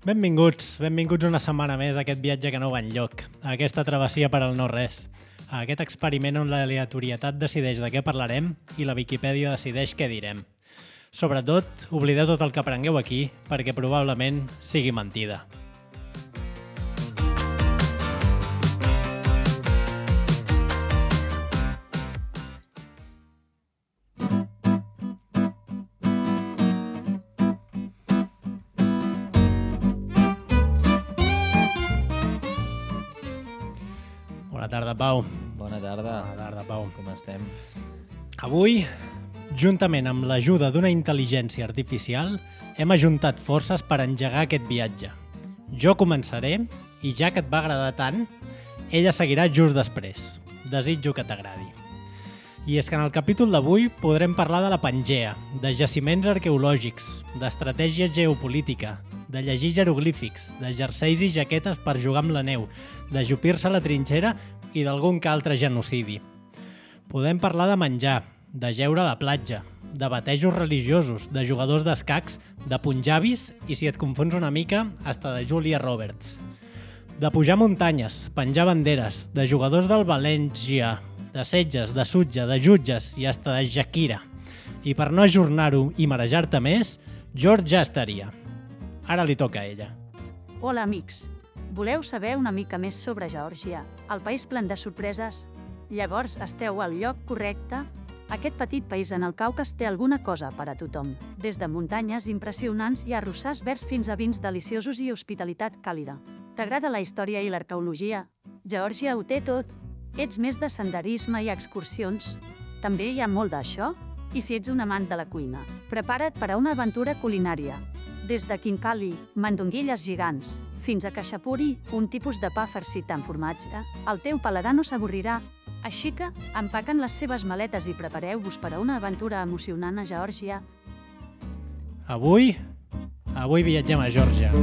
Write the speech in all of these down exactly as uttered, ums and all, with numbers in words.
Benvinguts, benvinguts una setmana més a aquest viatge que no va enlloc, a aquesta travessia per al no-res, a aquest experiment on l'aleatorietat decideix de què parlarem i la Viquipèdia decideix què direm. Sobretot, oblideu tot el que aprengueu aquí, perquè probablement sigui mentida. Bona tarda, Pau. Bona tarda. Bona tarda, Pau. Com estem? Avui, juntament amb l'ajuda d'una intel·ligència artificial, hem ajuntat forces per engegar aquest viatge. Jo començaré, i ja que et va agradar tant, ella seguirà just després. Desitjo que t'agradi. I és que en el capítol d'avui podrem parlar de la Pangea, de jaciments arqueològics, d'estratègia geopolítica, de llegir jeroglífics, de jerseis i jaquetes per jugar amb la neu, de jupir-se a la trinxera i d'algun que altre genocidi. Podem parlar de menjar, de jeure a la platja, de batejos religiosos, de jugadors d'escacs, de punjabis i, si et confons una mica, hasta de Julia Roberts. De pujar muntanyes, penjar banderes, de jugadors del València, de setges, de sutja, de jutges i hasta de Shakira. I per no ajornar-ho i marejar-te més, George ja estaria. Ara li toca a ella. Hola, amics. Voleu saber una mica més sobre Geòrgia, el país plen de sorpreses? Llavors esteu al lloc correcte? Aquest petit país en el Caucas té alguna cosa per a tothom. Des de muntanyes impressionants i arrossars verds fins a vins deliciosos i hospitalitat càlida. T'agrada la història i l'arqueologia? Geòrgia ho té tot. Ets més de senderisme i excursions? També hi ha molt d'això? I si ets un amant de la cuina, prepara't per a una aventura culinària. Des de Khinkali, mandonguilles gegants, fins a khachapuri, un tipus de pa farcit amb formatge, el teu paladar no s'avorrirà. Així que, empaquen les seves maletes i prepareu-vos per a una aventura emocionant a Geòrgia. Avui, avui viatgem a Geòrgia.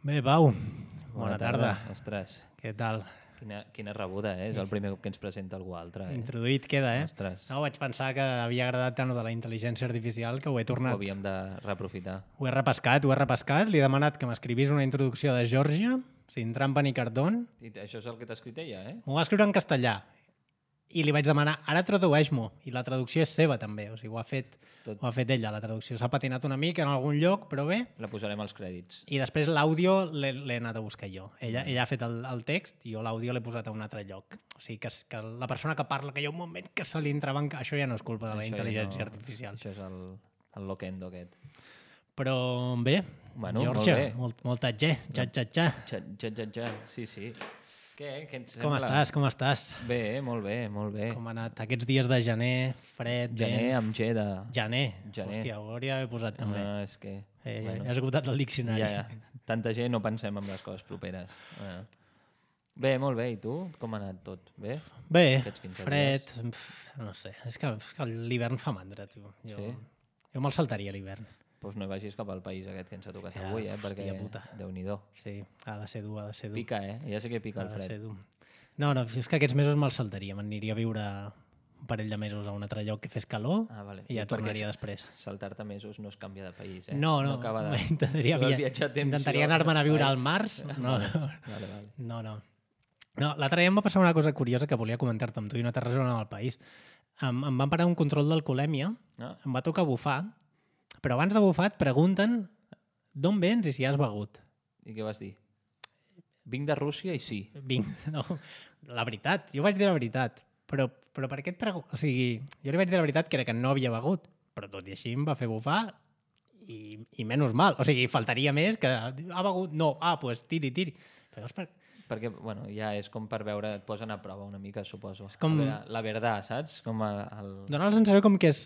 Bé, Pau, bona, bona tarda. tarda. Ostres, Què tal? quina, quina rebuda, eh? És el primer cop que ens presenta algú altre. Eh? Introduït queda, eh? Ostres. No, vaig pensar que havia agradat tant de la intel·ligència artificial que ho he tornat. Ho havíem de reaprofitar. Ho he repescat, ho he repescat. Li he demanat que m'escrivís una introducció de Geòrgia, sin trampa ni cartón. I això és el que t'ha escrit ella, eh? M'ho va escriure en castellà. I li vaig demanar, ara tradueix-m'ho. I la traducció és seva, també. O sigui, ho ha fet, Tot. ho ha fet ella, la traducció. S'ha patinat una mica en algun lloc, però bé. La posarem als crèdits. I després l'àudio l'he l'he anat a buscar jo. Ella, ella ha fet el, el text i jo l'àudio l'he posat a un altre lloc. O sigui, que, que la persona que parla, que hi ha un moment que se li entrebanca, això ja no és culpa de la Això intel·ligència ja no, artificial. Això és el, el loquendo aquest. Però bé, Bueno, Geòrgia, molt bé. molt, molt tatger, ja, ja, ja. Ja, ja, ja, ja. Sí, sí. Què, què et Com sembla? estàs, com estàs? Bé, molt bé, molt bé. Com ha anat aquests dies de gener, fred, Gener vent? amb G de... Gener. Gener. Hòstia, ho hauria d'haver posat també. No, és que... Eh, bueno. ja has esgotat el diccionari. Ja, ja. Tanta gent no pensem en les coses properes. Bueno. Bé, molt bé. I tu? Com ha anat tot? Bé? Bé, Aquests quinze fred, pf, no sé. És que, és que l'hivern fa mandra, tio. Jo, Sí? jo me'l saltaria, l'hivern. Doncs no vagis cap al país aquest que ens ha tocat Ja, avui, eh? hòstia Perquè, puta. Déu-n'hi-do. Sí, ha de ser dur, ha de ser dur. Pica, eh? Ja sé que pica ha el de fred. ser dur. No, no, és que aquests mesos me'l saltaria. M'aniria a viure un parell de mesos a un altre lloc que fes calor Ah, vale. i ja I perquè tornaria s- després. Saltar-te mesos no es canvia de país, eh? No, no, acaba de... intentaria, Lo del via... viatge a temps, intentaria jo- anar-me'n a viure Ai. al març. No, Vale, no, vale, vale. no. no. no L'altre dia em va passar una cosa curiosa que volia comentar-te amb tu i no té res a veure amb el país. Em, em van parar un control d'alcoholèmia, No? em va tocar bufar, però abans de bufar et pregunten d'on vens i si has begut. I què vas dir? Vinc de Rússia i sí. Vinc, no, la veritat, jo vaig dir la veritat, però, però per què et pregunto? O sigui, jo li vaig dir la veritat que era que no havia begut, però tot i així em va fer bufar i, i menys mal. O sigui, faltaria més que ha begut, no, ah, doncs pues, tiri, tiri. Però llavors, per... Perquè, bueno, ja és com per veure, et posen a prova una mica, suposo. És com- A veure, la verdad, saps? Com el... el... Dóna la sensació com que és...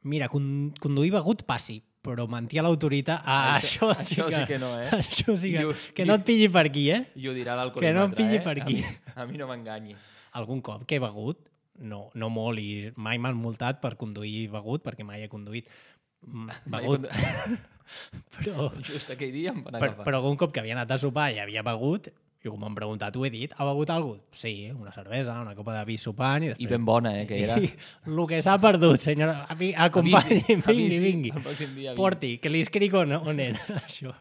Mira, con, conduir begut passi, però mentir a l'autoritat... Ah, això, Això- això sí que no, eh? Això sí que... I ho- que no et pilli per aquí, eh? I ho dirà l'alcoholímetre, Que no em pilli eh? per aquí. A mi, a mi no m'enganyi. Algun cop que he begut, no, no molt, i mai m'han multat per conduir begut, perquè mai he conduït mm, Mai begut. he però, Just aquell dia em van per, agafar. però algun cop que havia anat a sopar i havia begut, Jo, com m'han preguntat, ho he dit. Ha begut alguna cosa? Sí, una cervesa, una copa de vi sopant i després... I ben bona, eh, que era. I el que s'ha perdut, senyora, acompanyi, Avisi, vingui, avisi, vingui. el pròxim dia vingui. Porti, que li escric on, on era, això.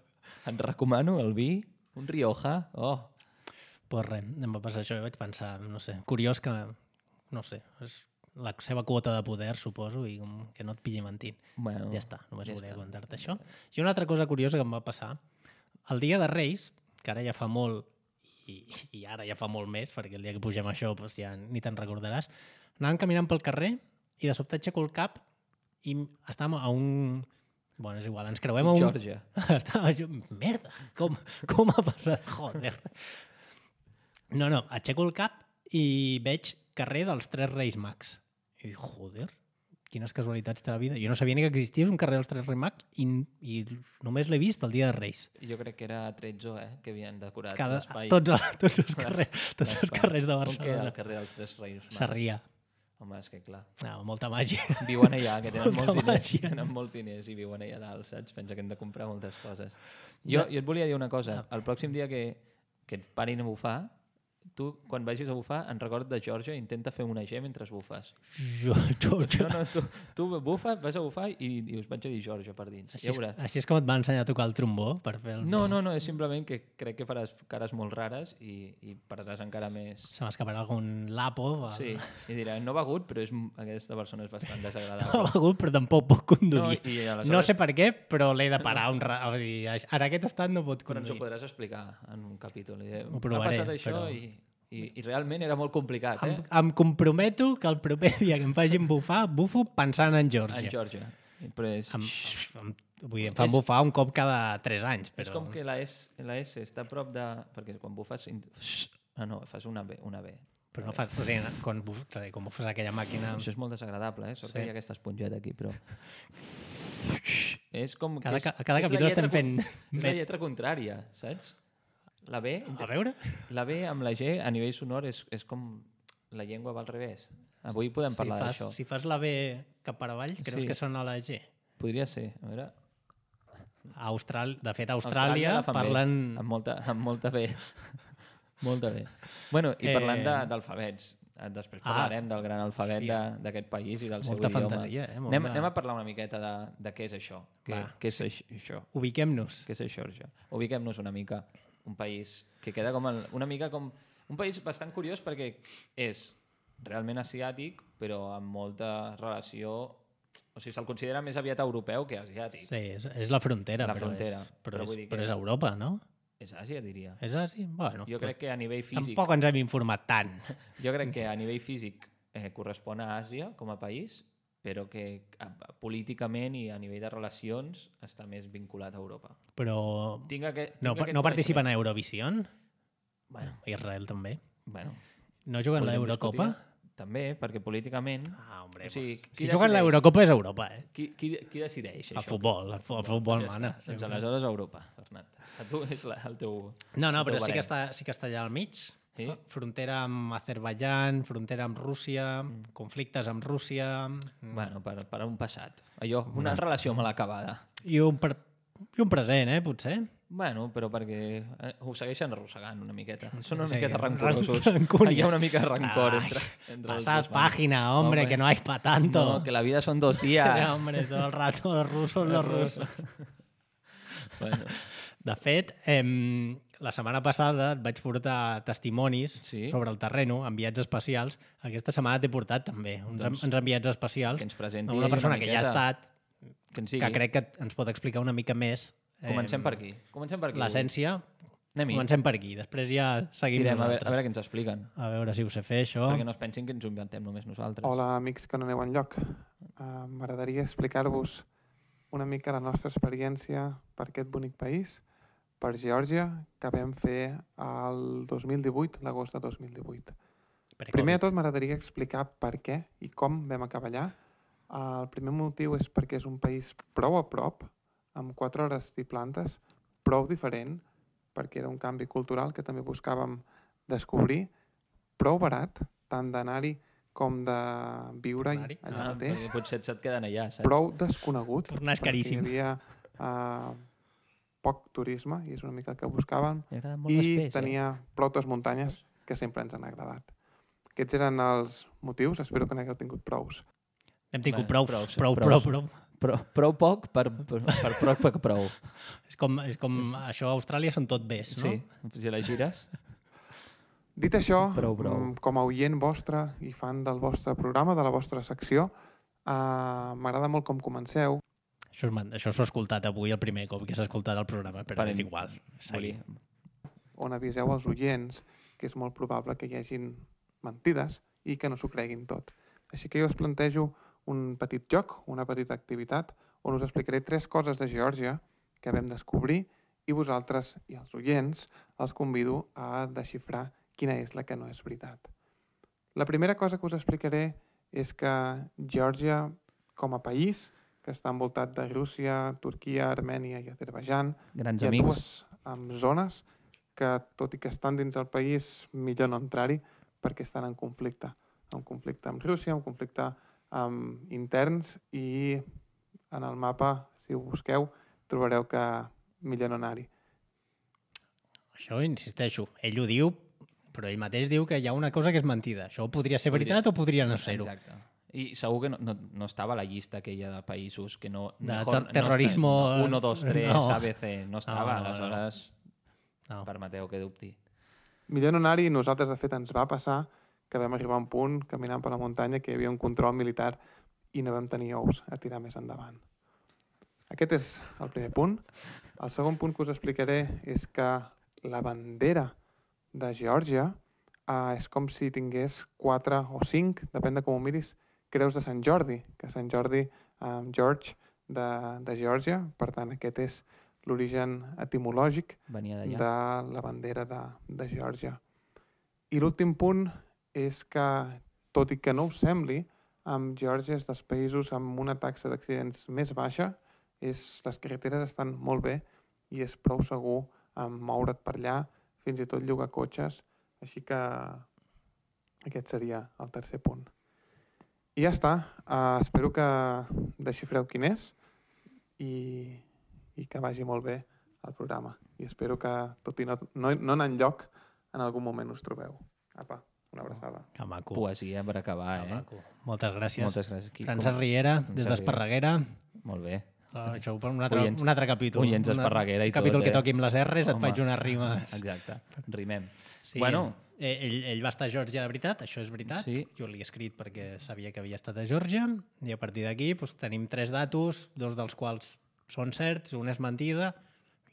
Et recomano el vi, un Rioja. Oh, Pues res, em va passar això i vaig pensar, no sé, curiós que, no sé, és la seva quota de poder, suposo, i com que no et pilli mentint. bueno. Ja està, només ja volia està. contar-te això. I una altra cosa curiosa que em va passar, el dia de Reis, que ara ja fa molt, i, i ara ja fa molt més, perquè el dia que pugem això doncs ja ni te'n recordaràs, anàvem caminant pel carrer i de sobte aixeco el cap i estàvem a un... Bueno, és igual, ens creuem a un... Geòrgia. Estava jo... Merda, com, com ha passat? Joder. No, no, aixeco el cap i veig carrer dels Tres Reis Mags. I dic, joder, quines casualitats de la vida. Jo no sabia ni que existís un carrer dels Tres Reis Mags i, i només l'he vist el dia de Reis. Jo crec que era Trezzo, eh, que havien decorat Cada, l'espai. tots, els- tots, els carrers, tots els carrers de Com queda Barcelona. el carrer dels Tres Reis Mags? Sarrià. Home, és que clar. No, molta màgia. Viuen allà, que tenen Molta molts diners, màgia. tenen molts diners i viuen allà dalt, saps? Pensa que hem de comprar moltes coses. Jo, jo et volia dir una cosa. El pròxim dia que, que et parin a bufar, tu, quan vagis a bufar, en record de Geòrgia, intenta fer una G mentre bufes. Jo, jo, jo. No, no, tu, tu bufes, vas a bufar i dius, vaig a dir Geòrgia per dins. Així, Ja és, veuràs. així és com et va ensenyar a tocar el trombó per fer el... No, no, no, és simplement que crec que faràs cares molt rares i, i perdràs encara més... Se m'escaparà algun lapo. Va. Sí, i dirà, no ha begut, però és, aquesta persona és bastant No ha desagradable. begut, però tampoc pot conduir. No, i aleshores- No sé per què, però l'he de parar un ra... Vull dir, ara aquest estat no pot Però ens ho conduir. podràs explicar en un capítol. I diré, Ho provaré, ha passat això però- i, i, i realment era molt complicat, eh? Em, em comprometo que el proper dia que em facin bufar, bufo pensant en Geòrgia. En Geòrgia. Però és, Em, em, vull dir, em fan És- bufar un cop cada tres anys. Però... és com que la S, la S està a prop de... Perquè quan bufes... in- Ah, no, fas una B. Una B. Però no fas... O sigui, quan, buf, o sigui, quan bufes aquella màquina... Això és molt desagradable, eh? Sort Sí. que hi ha aquesta esponjeta aquí, però... És com... que Cada, és, ca- cada és la capítol lletra estem fent... con- És la lletra contrària, saps? La B, A veure? la B amb la G a nivell sonor és, és com la llengua va al revés. Avui podem parlar si fas, d'això. Si fas la B cap per avall, creus Sí. que sona la G? Podria ser. A veure... A Austral... De fet, a Austràlia, la fan bé, parlen... amb molta, amb molta B. molta B. Bueno, i Eh, parlant de- d'alfabets, eh, després Ah, parlarem del gran alfabet hòstia. de- d'aquest país i del seu Molta idioma. fantasia, eh? Molt Anem, de- anem a parlar una miqueta de, de què és això. Què, Va. què és aix- això? Ubiquem-nos. Què és això? això? Ubiquem-nos una mica. Un país que queda com el, una mica com... Un país bastant curiós perquè és realment asiàtic, però amb molta relació... O sigui, se'l considera més aviat europeu que asiàtic. Sí, és, és la frontera, La però, frontera, és, però, però és, vull dir però que- és Europa, no? És Àsia, diria. És així? Bueno, Jo crec que a nivell físic... tampoc ens hem informat tant. Jo crec que a nivell físic eh, correspon a Àsia com a país, però que a, a, políticament i a nivell de relacions està més vinculat a Europa. Però Tinc aquest, no, tinc aquest no participen coneixement. a Eurovision? Bueno, Israel també. bueno, No juguen podríem l'Eurocopa? discutir. També, perquè políticament... Ah, hombre, O sigui, pues, qui si juguen decideix? l'Eurocopa és Europa, eh? Qui, qui, qui decideix El això? futbol, el, fu- el futbol Ja mana. està. Doncs aleshores Europa, Bernat. A tu és la, el teu... No, no, el però teu sí que, barem. està, sí que està allà al mig. Sí? F- Frontera amb Azerbaijan, frontera amb Rússia, conflictes amb Rússia... mm, Bueno, per, per un passat. Allò, una relació mal acabada. I un, pre I un present, eh, potser? Bueno, però perquè eh, ho segueixen arrossegant una miqueta. Són una Sí, miqueta ran- rancorosos. rancúnies. Hi ha una mica de rancor Ai, entre, entre els Pasad dos bandos. página, hombre, Hombre. que no hay pa tanto. No, que la vida son dos días. Hombre, todo el rato los rusos, los rusos. Bueno, De fet, em, la setmana passada et vaig portar testimonis Sí. sobre el terreno, enviats especials. Aquesta setmana t'he portat també uns, Doncs, uns enviats especials que ens presenti amb una persona una que ja ha miqueta. estat, que en sigui. que crec que ens pot explicar una mica més Comencem em, per aquí. Comencem per aquí. l'essència. Anem-hi. Comencem per aquí, després ja seguim Tirem, a veure, nosaltres. a veure què ens expliquen. A veure si ho sé fer, això. Perquè no es pensin que ens ho inventem només nosaltres. Hola, amics que no aneu enlloc. Uh, M'agradaria explicar-vos una mica la nostra experiència per aquest bonic país, per Geòrgia, que vam fer el dos mil divuit, l'agost de dos mil divuit. Per Primer de Covid. tot m'agradaria explicar per què i com vam acabar allà. Uh, el primer motiu és perquè és un país prou a prop, amb quatre hores i plantes, prou diferent, perquè era un canvi cultural que també buscàvem descobrir, prou barat, tant d'anar-hi com de viure-hi Tornar-hi? allà Ah, mateix, perquè potser se't queden allà, saps? Prou desconegut, Tornar és perquè caríssim. hi havia uh, poc turisme, i és una mica el que buscàvem, Li agrada molt i l'espès, tenia prou les muntanyes que sempre ens han agradat. Aquests eren els motius, espero que n'hagueu tingut prous. Hem tingut Bé, prou, prou, prou, sí, prou, prou. prou, prou. Però, prou poc per, per, per prou per prou. És com, és com això a Austràlia són tot bés, no? Sí, si la gires... Dit això, Prou, prou. mm, com a oient vostre i fan del vostre programa, de la vostra secció, eh, m'agrada molt com comenceu. Això, és- això s'ho he escoltat avui el primer cop que s'ha escoltat el programa, però Parem. és igual. Seguim. On aviseu els oients que és molt probable que hi hagin mentides i que no s'ho creguin tot. Així que jo us plantejo un petit joc, una petita activitat, on us explicaré tres coses de Geòrgia que vam descobrir i vosaltres i els oients els convido a desxifrar quina és la que no és veritat. La primera cosa que us explicaré és que Geòrgia, com a país, que està envoltat de Rússia, Turquia, Armènia i Azerbaijan, Grans hi ha amics. dues um, zones que, tot i que estan dins del país, millor no entrar-hi perquè estan en conflicte. En conflicte amb Rússia, en conflicte amb interns i en el mapa, si ho busqueu, trobareu que millor no anar-hi. Això, insisteixo, ell ho diu, però ell mateix diu que hi ha una cosa que és mentida. Això podria ser Podria- veritat o podria no ser-ho. Exacte. I segur que no, no, no estava a la llista aquella de països que no... De mejor ter- terrorismo, No, uno, dos, tres, no. A B C, no estava. No, no, no. Aleshores, No. permeteu que dubti. Millor no anar-hi, nosaltres, de fet, ens va passar que vam arribar a un punt, caminant per la muntanya, que hi havia un control militar i no vam tenir ous a tirar més endavant. Aquest és el primer punt. El segon punt que us explicaré és que la bandera de Geòrgia eh, és com si tingués quatre o cinc, depèn de com ho miris, creus de Sant Jordi, que Sant Jordi, eh, George, de, de Geòrgia, per tant, aquest és l'origen etimològic Venia d'allà. de la bandera de, de Geòrgia. I l'últim punt és que, tot i que no us sembli, amb Geòrgia és dels països amb una taxa d'accidents més baixa, és, les carreteres estan molt bé i és prou segur um, moure't per allà, fins i tot llogar cotxes, així que aquest seria el tercer punt. I ja està, uh, espero que desxifreu quin és i, i que vagi molt bé el programa. I espero que, tot i no, no, no anar enlloc, en algun moment us trobeu. Apa, una abraçada. Que maco. Poesia per acabar, Que eh? maco. Moltes gràcies. Moltes gràcies. Qui- Francesc com- Riera, Francesc des d'Esparreguera. Molt bé. Ah, això per un altre, Oients- un altre capítol. oients Un d'Esparreguera i un capítol tot, que eh? toqui amb les R's, et Home. faig unes rimes. Exacte. Rimem. Sí, Bueno, eh, ell, ell va estar a Geòrgia de veritat, això és veritat. Sí. Jo l'he escrit perquè sabia que havia estat a Geòrgia i a partir d'aquí doncs, tenim tres datos, dos dels quals són certs, una és mentida.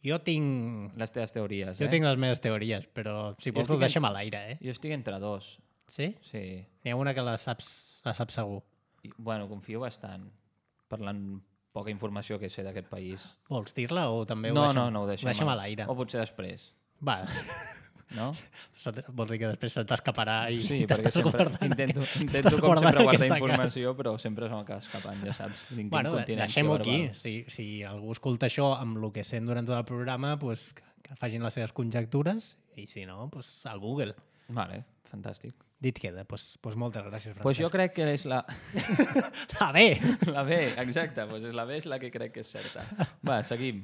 Jo tinc, les teves teories, jo eh? tinc les meves teories, però si Jo vols ho estic en- deixem a l'aire, eh? Jo estic entre dos. Sí? Sí. N'hi ha una que la saps, la saps segur. I, bueno, confio bastant per la poca informació que sé d'aquest país. Vols dir-la o també ho No, deixem, no, no, ho deixem, deixem a l'aire? O potser després, Va, no? se t- vols dir que després se t'escaparà i Sí, i perquè t'estàs sempre guardant intento, aquest- intento t'estàs com guardant sempre guardar aquesta informació, però sempre se m'acaba escapant, ja saps. Tinc Bueno, de- incontinència deixem-ho aquí. verbal. Si, si algú escolta això amb el que sent durant tot el programa, pues, que, que facin les seves conjectures i si no, pues, al Google. Vale, fantàstic. Dit queda. Pues, pues moltes gràcies, Francesc. Pues jo crec que és la... Ah, bé! La B, exacte, pues la B és la que crec que és certa. Va, seguim.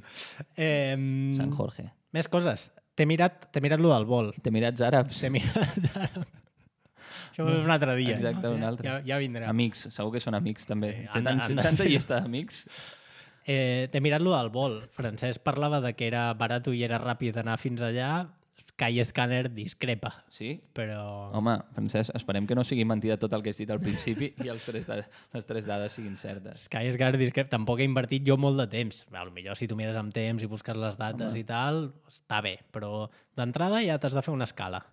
Eh, Sant Jorge. Més coses. T'he mirat, t'he mirat lo del vol. T'Emirats Àrabs. T'he mirat... Això és un altre dia. Exacte, no? un altre. Ja, ja vindrà. Amics, segur que són amics també. Sí, Té han de- tant, han de tanta ser. llista d'amics. Eh, T'he mirat lo del vol. Francesc parlava de que era barat i era ràpid anar fins allà. Skyscanner discrepa, Sí? però... Home, Francesc, esperem que no sigui mentida tot el que has dit al principi i els tres da les tres dades siguin certes. Skyscanner discrepa. Tampoc he invertit jo molt de temps. A lo millor si tu mires amb temps i busques les dates Home. i tal, està bé. Però d'entrada ja t'has de fer una escala.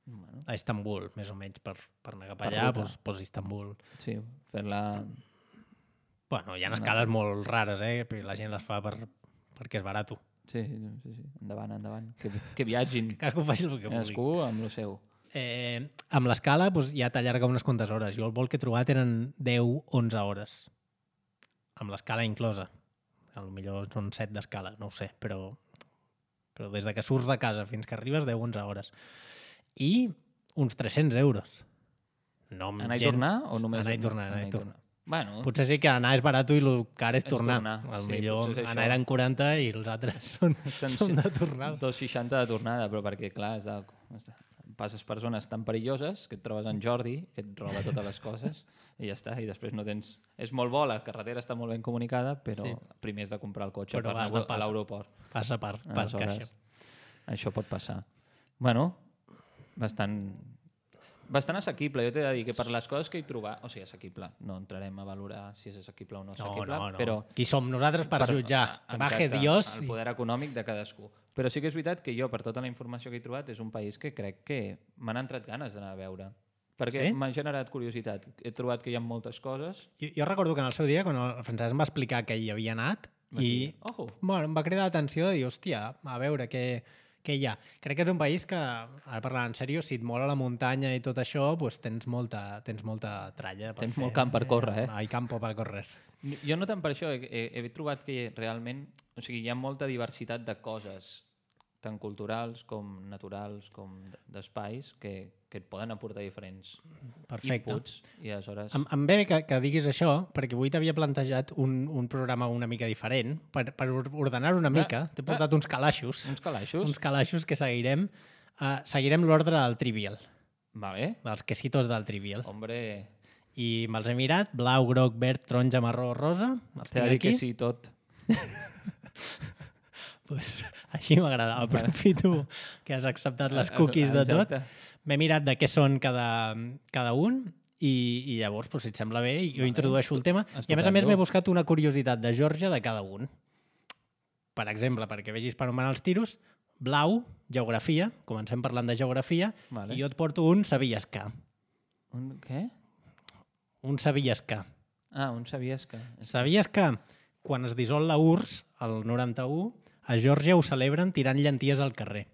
Bueno, A Istanbul, més o menys, per, per anar cap Per allà, ruta. doncs, doncs Istanbul. sí, fer-la... Bueno, hi ha Una- escales molt rares, eh? Però la gent les fa per, perquè és barat. Sí, sí, sí. Endavant, endavant. Que, que viatgin. Cadascú faci el que vulgui. Cadascú amb el seu. Eh, amb l'escala doncs, ja t'allarga unes quantes hores. Jo el vol que he trobat eren deu onze hores. Amb l'escala inclosa. A lo millor són set d'escala, no ho sé, però, però des de que surts de casa fins que arribes deu onze hores. I uns tres-cents euros. No amb Anar i gens- tornar o només... Anar i tornar, anar i tornar. Bueno, Potser sí que anar és barat i el car és És tornar. tornar, Al sí, millor potser és anar això. eren quaranta i els altres són, són són de tornada. dos seixanta de tornada, però perquè, clar, has de, has de, passes per zones tan perilloses que et trobes en Jordi, que et roba totes les coses, i ja està, i després no tens... És molt bo, la carretera està molt ben comunicada, però Sí. primer has de comprar el cotxe Però per has anar de a passar. l'aeroport. Passa per, per Aleshores, caixa. això pot passar. Bueno, bastant, bastant assequible. Jo t'he de dir que per les coses que he trobat... O sigui, assequible. No entrarem a valorar si és assequible o no No, assequible, no, no. però... Qui som nosaltres per, jutjar? Exacte, Baje Dios. el i- poder econòmic de cadascú. Però sí que és veritat que jo, per tota la informació que he trobat, és un país que crec que m'han entrat ganes d'anar a veure. Perquè Sí? m'ha generat curiositat. He trobat que hi ha moltes coses. Jo, jo recordo que en el seu dia, quan el Francesc em va explicar que hi havia anat, Va i dir, ojo, bueno, em va cridar l'atenció de dir, hòstia, a veure què, què hi ha. Crec que és un país que, ara parlant en sèrio, si et mola la muntanya i tot això, doncs tens molta, tens molta tralla. Per Tens fer. molt camp per córrer, eh? Hay campo per córrer. jo no tant per això, he, he, he trobat que realment o sigui, hi ha molta diversitat de coses, tant culturals com naturals, com d'espais, que, que et poden aportar diferents Perfecte. inputs. I aleshores... Em, em ve bé que, que diguis això, perquè avui t'havia plantejat un, un programa una mica diferent. Per, per ordenar una mica, t'he portat uns calaixos. Uns calaixos. Uns calaixos que seguirem. Uh, seguirem l'ordre del Trivial, Vale. dels quesitos del Trivial. Hombre, I me'ls he mirat, blau, groc, verd, taronja, marró, rosa. Els t'he tinc de dir aquí. que sí tot. Pues, així m'agrada. Aprofito que has acceptat les cookies de tot. Exacte. M'he mirat de què són cada, cada un i, i llavors, pues, si et sembla bé, jo Vale. introdueixo el tema. I a més a Estupendo. més m'he buscat una curiositat de Geòrgia de cada un. Per exemple, perquè vegis per on van els tiros, blau, geografia, comencem parlant de geografia, Vale. i jo et porto un sabies que. Un, què? Un sabies que. Ah, un sabies que... Sabies que quan es dissol la U R S S, el noranta-u, a Geòrgia ho celebren tirant llenties al carrer.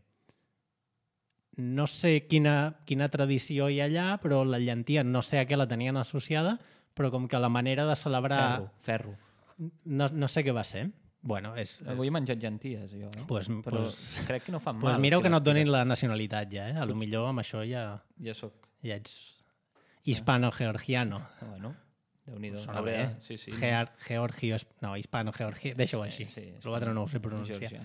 No sé quina, quina tradició hi ha allà, però la llentia no sé a què la tenien associada, però com que la manera de celebrar... Ferro, ferro. No, no sé què va ser. Bueno, és... és... Avui he menjat llenties, jo. Eh? Pues, Però pues, crec que no fan pues mal. mireu si que no les et donin tires. la nacionalitat ja, eh? A lo millor amb això ja, Ja soc... ja ets hispano-georgiano. Bueno, déu-n'hi-do. Sona Hauré- bé. Sí, sí. Gear, Georgio... No, hispano-georgio... Deixa-ho així. Sí, L'altre no ho sé pronunciar. Georgià.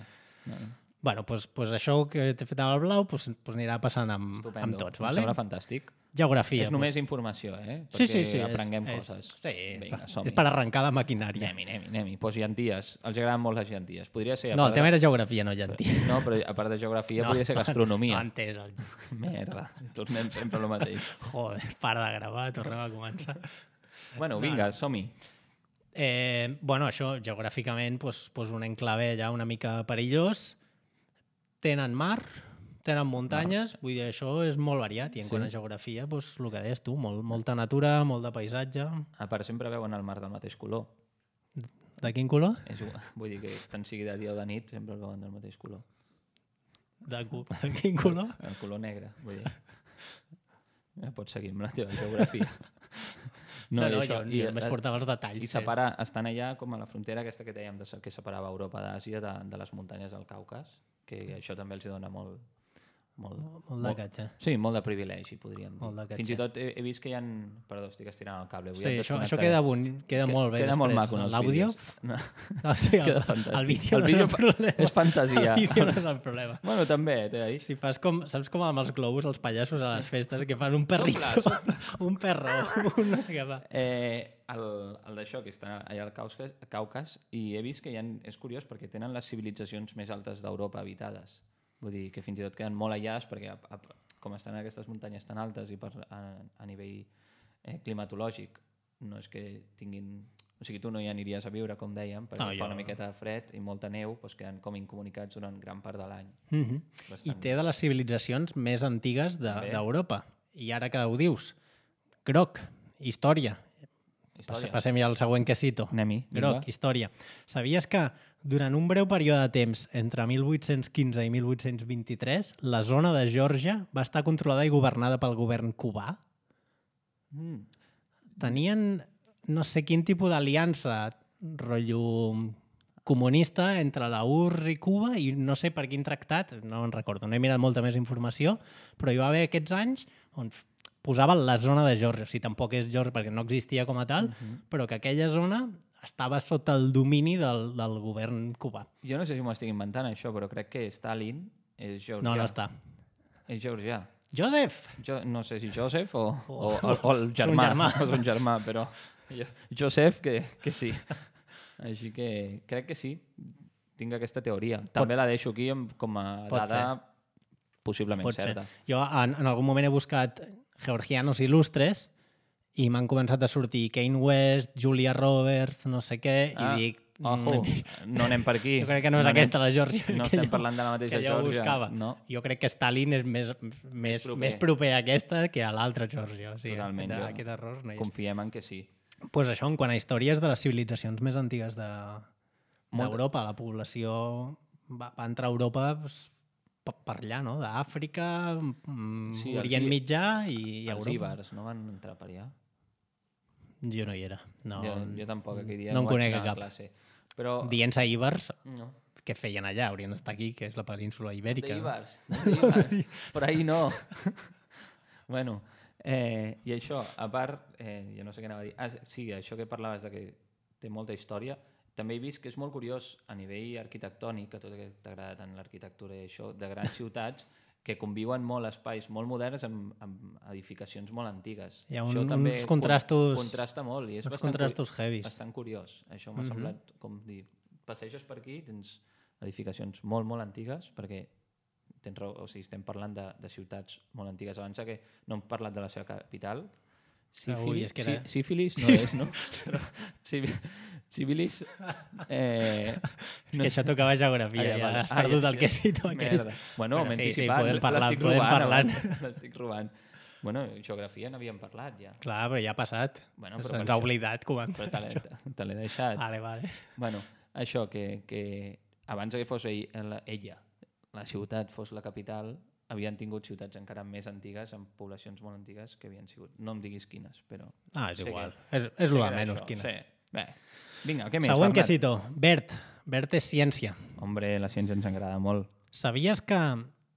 No, no. Bueno, doncs, doncs això que t'he fet amb el blau doncs, doncs anirà passant amb, Estupendo. amb tots, Em vale? sembla fantàstic. Geografia. És només doncs. informació, eh? Sí, Perquè sí, sí. aprenguem és, coses. És, sí, Vinga, és som-hi. per arrencar la maquinària. Anem-hi, anem-hi, anem-hi. Pues llenties. Els agraden molt les llenties. Podria ser... a No, part el tema de... era geografia, no llentia. No, però a part de geografia podria ser No gastronomia. he entès. El... Merda, tornem sempre al mateix. Joder, para de gravar, tornem a començar. Bueno, vinga, som-hi. Eh, bueno, això, geogràficament, doncs, doncs un enclave allà una mica perillós. Tenen mar, tenen muntanyes, vull dir, això és molt variat. I en Sí. quant a geografia, doncs, el que deies tu, molt, molta natura, molt de paisatge. A part, sempre veuen el mar del mateix color. De quin color? És igual. Vull dir que tant sigui de dia o de nit, sempre el veuen del mateix color. De, cu- de quin color? El color negre, vull dir. Ja pots seguir amb la teva geografia. No, no, i jo i només portava els detalls. I separa, estan allà com a la frontera aquesta que dèiem de, se- que separava Europa d'Àsia de, de les muntanyes del Caucas, que això també els hi dona molt... Molt, Molt de catxa. Sí, molt de privilegi, podríem dir. Molt de Fins i catxa. tot he, he vist que hi ha... Perdó, estic estirant el cable. Avui Sí, et això, això desconnectaré. queda, boni, queda Que- molt bé Queda molt després. maco en els L'àudio? vídeos. No. No, sí, el, Queda fantàstic. el vídeo El no vídeo és el problema. és fantasia. El vídeo no és el problema. Bueno, també, t'he de dir. Si fas com, saps com amb els globus, els pallassos a les festes, que fan un perrito, Sopla, un perro, un no sé què fa. Eh, el, el d'això, que està allà al Caucas, Caucas, i he vist que hi ha, és curiós perquè tenen les civilitzacions més altes d'Europa habitades. Vull dir que fins i tot queden molt allàs perquè a, a, com estan aquestes muntanyes tan altes i per, a, a nivell eh, climatològic no és que tinguin... O sigui, tu no hi aniries a viure, com dèiem, perquè No, no, fa jo- una miqueta de fred i molta neu, doncs queden com incomunicats durant gran part de l'any. Mm -hmm. Bastant. I té de les civilitzacions més antigues També. d'Europa. De, I ara que ho dius, groc, història. Història. Passem ja al següent quesito. Anem-hi. Groc, vinga. història. Sabies que durant un breu període de temps, entre mil vuit-cents quinze i mil vuit-cents vint-i-tres, la zona de Geòrgia va estar controlada i governada pel govern cubà? Mm. Tenien no sé quin tipus d'aliança, rotllo comunista entre la U R S S i Cuba i no sé per quin tractat, no en recordo, no he mirat molta més informació, però hi va haver aquests anys on posava la zona de Geòrgia. O sigui, tampoc és Geòrgia perquè no existia com a tal, Uh -huh. però que aquella zona estava sota el domini del, del govern cubà. Jo no sé si m'ho estic inventant, això, però crec que Stalin és georgià. No, no està. És georgià. Joseph! Jo, no sé si Joseph o, Oh. o, o, o el germà. germà. O son germà, però jo, Joseph que, que sí. Així que crec que sí. Tinc aquesta teoria. També la deixo aquí amb, com a Pot dada possiblement Pot ser. certa. Jo en, en algun moment he buscat georgianos il·lustres i m'han començat a sortir Kanye West, Julia Roberts, no sé què, Ah, i dic... Ojo, mm, no anem per aquí. Jo crec que no és anem- aquesta la Geòrgia. No que estem jo- parlant de la mateixa que jo Geòrgia. buscava. No, Jo crec que Stalin és més, més, proper. més proper a aquesta que a l'altra Geòrgia. O sigui, totalment. aquest, jo aquest error no hi és. confiem en que sí. Pues això, en quant a històries de les civilitzacions més antigues de Molta- d'Europa, la població va, va entrar a Europa pues, per, per allà, no? D'Àfrica, mm, Sí, els Orient i- Mitjà i, i Els Europa. íbars no van entrar per allà? Jo no hi era. No, jo, jo tampoc, aquell dia no no, en vaig conec anar a cap. classe. Però... Dient-se íbars, No. què feien allà? Haurien d'estar aquí, que és la península ibèrica. De no? Ibars, de Ibars. Por ahí no. Bueno, eh, i això, a part, eh, jo no sé què anava a dir. Ah, sí, això que parlaves de que té molta història, també he vist que és molt curiós a nivell arquitectònic, a tot que t'agrada tant l'arquitectura i això, de grans ciutats, que conviuen molt espais molt moderns amb, amb edificacions molt antigues. Hi ha Això un- també uns contrastos- con- contrasta molt i és uns bastant, contrastos curi- heavies. bastant curiós. Això m'ha Mhm. semblat com dir, passeges per aquí, tens edificacions molt, molt antigues, perquè tens raó, o sigui, estem parlant de, de ciutats molt antigues. Abans que no hem parlat de la seva capital. Ui, és que era- sí, sífilis no és, no? Però Civi- Civilis... Eh, És que això tocava geografia, Ah, ja, vale. has Ah, perdut ja, el ja. quesito aquest. Merda. Bueno, Bueno, m'he sí, sí, anticipat. podem parlar- l'estic podem robant, parlar. abans. L'estic robant. Bueno, geografia n'havíem parlat ja. Clar, però ja ha passat. Bueno, Se'ns però per ha això- oblidat Però comentar te l'he això. te l'he deixat. Vale, vale. Bueno, això, que, que abans que fos ell, la- ella, la ciutat fos la capital, havien tingut ciutats encara més antigues, amb poblacions molt antigues, que havien sigut... No em diguis quines, però... Ah, és sé igual. que- És, és sé lo que de era menys, això. quines. Sí. Bé, vinga, què més, Següent Bernat? quesito. Bert. Bert és ciència. Hombre, la ciència ens agrada molt. Sabies que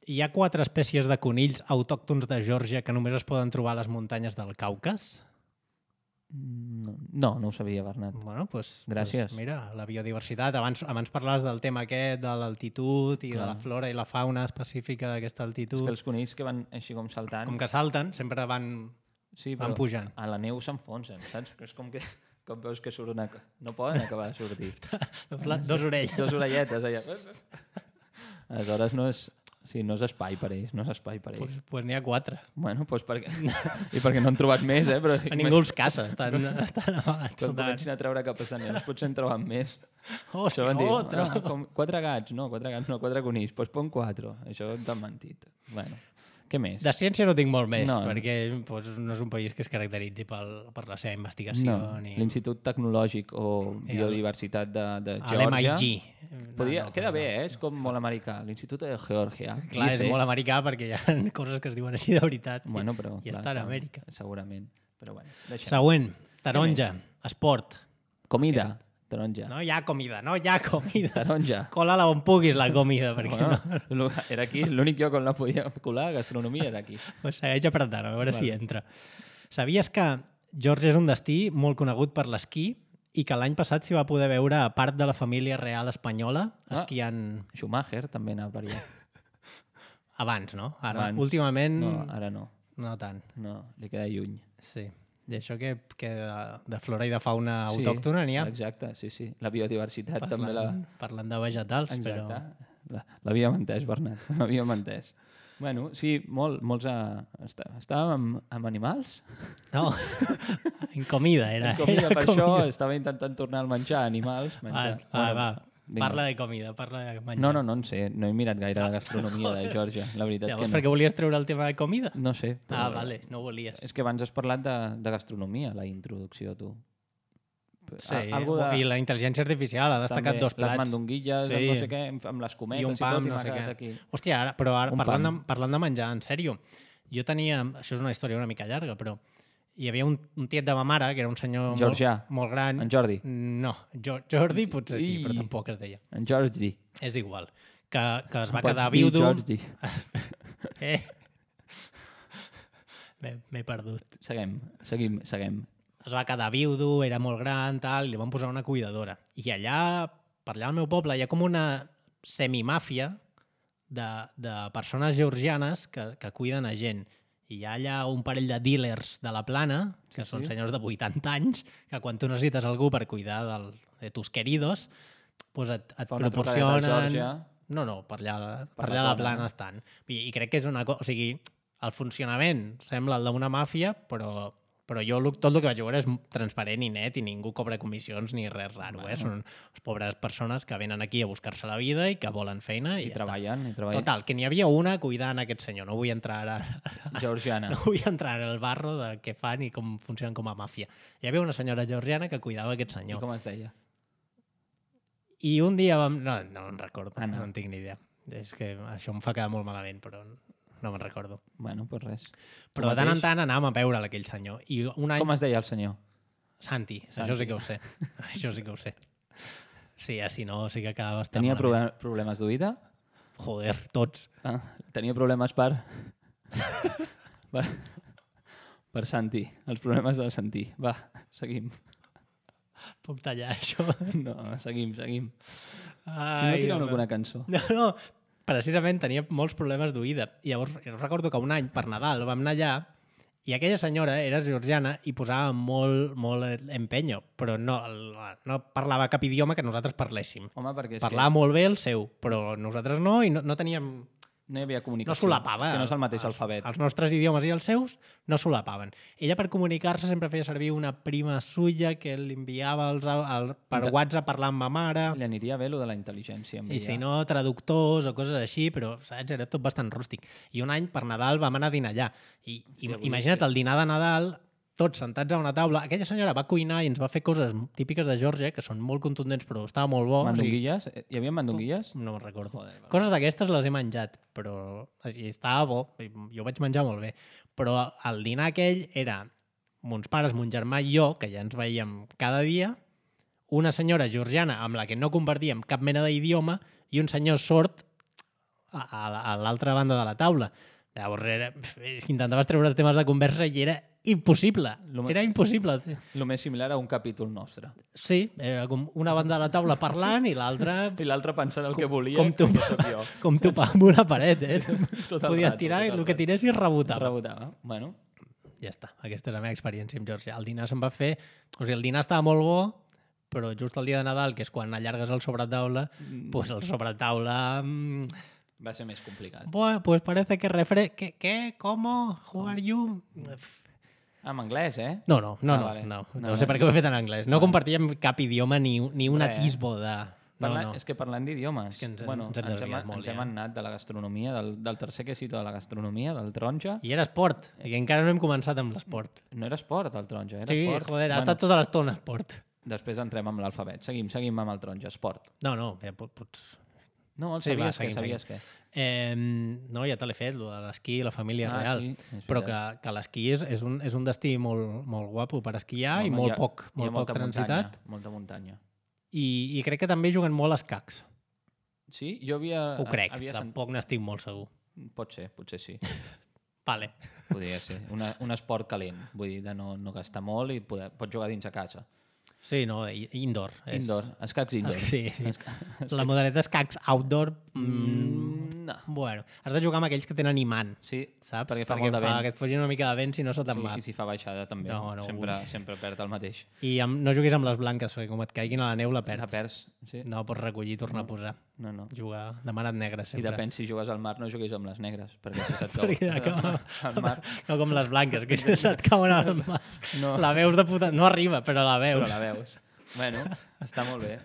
hi ha quatre espècies de conills autòctons de Geòrgia que només es poden trobar a les muntanyes del Caucas? No, no, no ho sabia, Bernat. Bueno, pues, Gràcies. Pues mira, la biodiversitat. Abans, abans parlaves del tema aquest, de l'altitud i Clar. de la flora i la fauna específica d'aquesta És altitud. que els conills que van així com saltant... Com que salten, sempre van, sí, van però pujant. a la neu s'enfonsen, saps? És com que com veus que surt una... No poden acabar de sortir. Dos orelles. Dos orelletes allà. Aleshores no és... Sí, no és espai per ells, no és espai per ells. Pues, pues n'hi ha quatre. Bueno, doncs perquè... I perquè no han trobat més, eh? Però A ningú els caça, estan, estan amagats. Quan sota- comencin a treure capes de neus potser en troben més. Hòstia, Això van dir, otro. ah, com, quatre gats, no, quatre gats, no, quatre conills, doncs pon quatre. Això t'han mentit. Bueno, què més? De ciència no tinc molt més, No. perquè pues, no és un país que es caracteritzi pel, per la seva investigació. No, ni... l'Institut Tecnològic o I el- Biodiversitat de, de A l'M I Geòrgia... G. Podria, No, no, queda no. bé, eh? És com molt americà. L'Institut de Geòrgia. Clar, és I C. molt americà perquè hi ha coses que es diuen així de veritat. Bueno, però... I clar, està a Amèrica. Segurament. Però bueno, deixem. Següent, taronja, esport. Comida, taronja. No hi ha comida, no hi ha comida. Taronja. Cola-la on puguis, la comida, perquè Bueno, no. lo- era aquí, l'únic lloc on la podia colar, gastronomia, era aquí. Pues segueix apretant, a veure Vale. si entra. Sabies que Geòrgia és un destí molt conegut per l'esquí i que l'any passat s'hi va poder veure a part de la família real espanyola Ah. esquiant Schumacher també anava per allà. abans, no? Ara, Abans. últimament, No, ara no. no tant. No, li queda lluny. Sí. I això que, que de, de flora i de fauna Sí, autòctona n'hi ha. Exacte, sí, sí. La biodiversitat Parlant, també la... parlant de vegetals, Exacte. però... La- L'havíem entès, Bernat. L'havíem entès. Bueno, sí, molt, molts... A... Està, estàvem amb, amb animals. No, en comida era. En comida, era per comida. això estava intentant tornar al menjar, animals. Va, Menjar. va, va. vinga. Parla de comida, parla de menjar. No, no, no en sé. No he mirat gaire la gastronomia de Geòrgia. La veritat Llavors, que per no. què volies treure el tema de comida? No sé. Ah, vale, no volies. És que abans has parlat de, de gastronomia, la introducció, tu. Sí, A- algo de... i la intel·ligència artificial ha destacat També, dos plats. Les mandonguilles, Sí. amb no sé què, amb, amb les cometes I un i, pam, tot, i no m'ha sé quedat què. aquí. Hòstia, ara, però ara, Un parlant de, pam. parlant de menjar, en sèrio, jo tenia... Això és una història una mica llarga, però hi havia un, un tiet de ma mare, que era un senyor Georgià. molt, molt gran. En Jordi. No, jo, Jordi potser sí, I- però tampoc es deia. En George D. És igual. Que, que es va Pots quedar dir viudo... George D. Eh. M'he m'he perdut. Seguim, seguim, seguim. Es va quedar viudo, era molt gran, tal, i li van posar una cuidadora. I allà, per allà al meu poble, hi ha com una semimàfia de, de persones georgianes que, que cuiden a gent. I hi ha allà un parell de dealers de la Plana, que Sí, són sí. senyors de vuitanta anys, que quan tu necessites algú per cuidar del, de tus queridos, doncs et, et Fa una trucadeta a proporcionen... Geòrgia. No, no, per allà, per Per allà la a la zona, Plana no? estan. I, I crec que és una cosa... O sigui, el funcionament sembla el d'una màfia, però, però jo lo- tot el que vaig veure és transparent i net i ningú cobra comissions ni res raro. Bueno. Eh? Són les pobres persones que venen aquí a buscar-se la vida i que volen feina i, I ja treballen, i està. treballen. Total, que n'hi havia una cuidant aquest senyor. No vull entrar ara, Georgiana. no vull entrar en el barro de què fan i com funcionen com a màfia. Hi havia una senyora georgiana que cuidava aquest I senyor. com es deia? I un dia vam... No, no em recordo, Anna. no en tinc ni idea. És que això em fa quedar molt malament, però no me'n recordo. Bueno, doncs res. Tu Però de tant en mateix? tant anàvem a veure aquell senyor. I un any... Com es deia el senyor? Santi, Santi. això sí que ho sé. Això sí que ho sé. Sí, si no, sí que acaba bastant Tenia malament. proble- problemes d'oïda? Joder, tots. Ah, tenia problemes per... per... per Santi. Els problemes del Santi. Va, seguim. Puc tallar això? No, seguim, seguim. Ai, Si no, tirem home. alguna cançó. No, no, precisament tenia molts problemes d'oïda. I llavors jo recordo que un any, per Nadal, vam anar allà i aquella senyora era georgiana i posava molt, molt empenyo, però no, el- no parlava cap idioma que nosaltres parléssim. Home, perquè és Parlava molt bé el seu, però nosaltres no, i no, no teníem... que no hi havia comunicació. No solapava. És que no és el mateix els, alfabet. Els nostres idiomes i els seus no solapaven. Ella, per comunicar-se, sempre feia servir una prima suya que li enviava els, el, per De- WhatsApp parlar amb ma mare, Li aniria bé lo de la intel·ligència. em i veia. si no, traductors o coses així, però, saps, era tot bastant rústic. I un any, per Nadal, vam anar a dinar allà. I Hòstia, im imagina't el dinar de Nadal, tots sentats a una taula. Aquella senyora va cuinar i ens va fer coses típiques de Geòrgia, que són molt contundents, però estava molt bo. Mandonguilles? Hi havia mandonguilles? O sigui, no me'n recordo. Joder, va. Coses d'aquestes les he menjat, però i estava bo, i jo ho vaig menjar molt bé. Però el dinar aquell era mons pares, mon germà i jo, que ja ens veiem cada dia, una senyora georgiana amb la que no compartíem cap mena d'idioma i un senyor sord a, a, a l'altra banda de la taula. Llavors era, és que intentaves treure els temes de conversa i era impossible. Lo me- Era impossible. El més similar a un capítol nostre. Sí, era com una banda de la taula parlant i l'altra I l'altre pensant el que volia, com tu, que sóc jo. com tu amb una paret, eh? Tot el Podies rato, tirar tot i el el que rato. tiressis rebotava. Rebotava. Bueno, Ja està, aquesta és la meva experiència amb Geòrgia. El dinar se'm va fer... O sigui, el dinar estava molt bo, però just el dia de Nadal, que és quan allargues el sobretaula, Mm. pues el sobretaula... mm, va ser més complicat. Bueno, pues parece que refre... ¿Qué? ¿Qué? ¿Cómo? ¿Who are you? Ah, en anglès, eh? No, no, no, Ah, no, vale. no, No, no sé no. per què ho he fet en anglès. No Vale. compartíem cap idioma ni, ni un Res. atisbo de... No, Parla... no. És que parlant d'idiomes, És que ens hem- bueno, ens hem ens, hem, desviat molt, ens hem ja. anat de la gastronomia, del, del tercer quesito de la gastronomia, del taronja. I era esport, i encara no hem començat amb l'esport. No era esport, el taronja, era Sí, esport. joder, ha estat tota l'estona esport. Després entrem amb l'alfabet. Seguim, seguim amb el taronja, esport. No, no, ja pot, pots... No, el Sí, va, sabies que, seguim, sabies que. Eh, no, ja te l'he fet, lo de l'esquí i la família Ah, real. sí, és Però que, veritat. que l'esquí és, és, un, és un destí molt, molt guapo per esquiar i Home, molt hi ha- poc, hi ha molt poc molta transitat. Muntanya, molta muntanya. I, I crec que també juguen molt a escacs. Sí? Jo havia... Ho crec, havia sent- tampoc n'estic molt segur. Pot ser, potser sí. Vale. Podria ser. Una, un esport calent. Vull dir, de no, no gastar molt i poder, pots jugar dins a casa. Sí, no, i- indoor. És- Indoor. Escacs indoor. És que sí, sí. Esca... La modalitat escacs outdoor... Mm, Mm, no. bueno, has de jugar amb aquells que tenen imant, Sí, saps? perquè fa molt de vent. que et fugin una mica de vent si no se te'n Sí, va. I si fa baixada també. No, no, sempre, ui. sempre perd el mateix. I amb, no juguis amb les blanques, perquè com et caiguin a la neu la perds. La perds, sí. No pots recollir i tornar a posar. No, no. Jugar demanat negre, I sempre. depèn si jugues al mar, no juguis amb les negres, perquè si se't cau Perquè acaba- al mar, No com les blanques, que si se't cauen al mar. no, La veus de puta... No arriba, però la veus. però la veus. Bueno, està molt bé.